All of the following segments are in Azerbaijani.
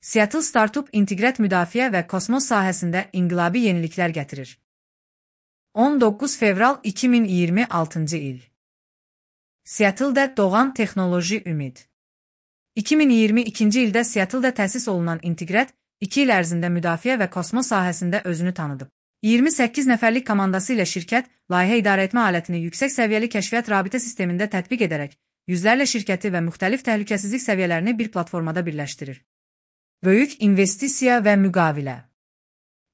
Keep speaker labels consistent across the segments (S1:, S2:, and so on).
S1: Seattle Startup inteqrat müdafiə və kosmos sahəsində inqilabi yeniliklər gətirir. 19 fevral 2026-cı il. Seattle-də doğan texnoloji ümid. 2022-ci ildə Seattle-də təsis olunan inteqrat 2 il ərzində müdafiə və kosmos sahəsində özünü tanıdıb. 28 nəfərlik komandası ilə şirkət, layihə idarəetmə alətini yüksək səviyyəli kəşfiyyat rabitə sistemində tətbiq edərək, yüzlərlə şirkəti və müxtəlif təhlükəsizlik səviyyələrini bir platformada birləşdirir. Böyük investisiya və müqavilə.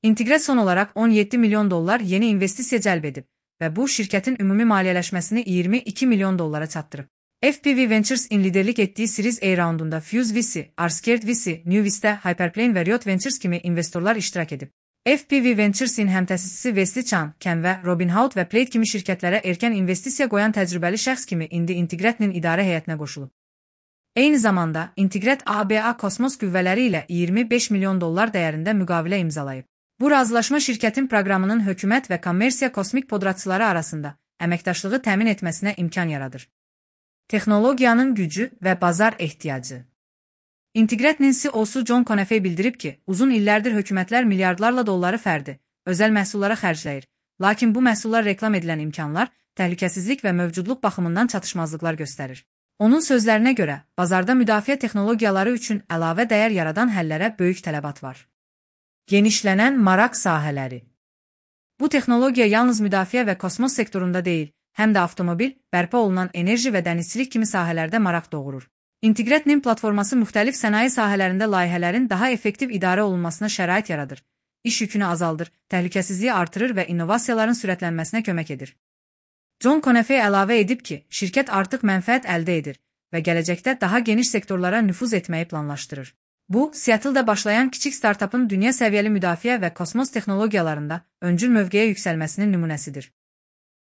S1: İnteqrat son olaraq $17 milyon yeni investisiya cəlb edib və bu, şirkətin ümumi maliyyələşməsini $22 milyon çatdırıb. FPV Ventures-in liderlik etdiyi Series A raundunda Fuse VC, R-Squared VC, New Vista, Hyperplane və Riot Ventures kimi investorlar iştirak edib. FPV Ventures-in həmtəsisçisi Wesley Chan, Ken və Robinhood və Plaid kimi şirkətlərə erkən investisiya qoyan təcrübəli şəxs kimi indi inteqratın idarə heyətinə qoşulub. Eyni zamanda, inteqrat ABA kosmos qüvvələri ilə $25 milyon dəyərində müqavilə imzalayıb. Bu razılaşma şirkətin proqramının hökumət və kommersiya kosmik podratçıları arasında əməkdaşlığı təmin etməsinə imkan yaradır. Texnologiyanın gücü və bazar ehtiyacı. İnteqratın CEO-su John Conafey bildirib ki, uzun illərdir hökumətlər milyardlarla dolları fərdi, özəl məhsullara xərcləyir, lakin bu məhsullar reklam edilən imkanlar, təhlükəsizlik və mövcudluq baxımından çatışmazlıqlar göstərir. Onun sözlərinə görə, bazarda müdafiə texnologiyaları üçün əlavə dəyər yaradan həllərə böyük tələbat var. Genişlənən maraq sahələri. Bu texnologiya yalnız müdafiə və kosmos sektorunda deyil, həm də avtomobil, bərpa olunan enerji və dənizçilik kimi sahələrdə maraq doğurur. İnteqratın platforması müxtəlif sənaye sahələrində layihələrin daha effektiv idarə olunmasına şərait yaradır, iş yükünü azaldır, təhlükəsizliyi artırır və innovasiyaların sürətlənməsinə kömək edir. John Conafey əlavə edib ki, şirkət artıq mənfəət əldə edir və gələcəkdə daha geniş sektorlara nüfuz etməyi planlaşdırır. Bu, Seattle-da başlayan kiçik startupın dünya səviyyəli müdafiə və kosmos texnologiyalarında öncül mövqeyə yüksəlməsinin nümunəsidir.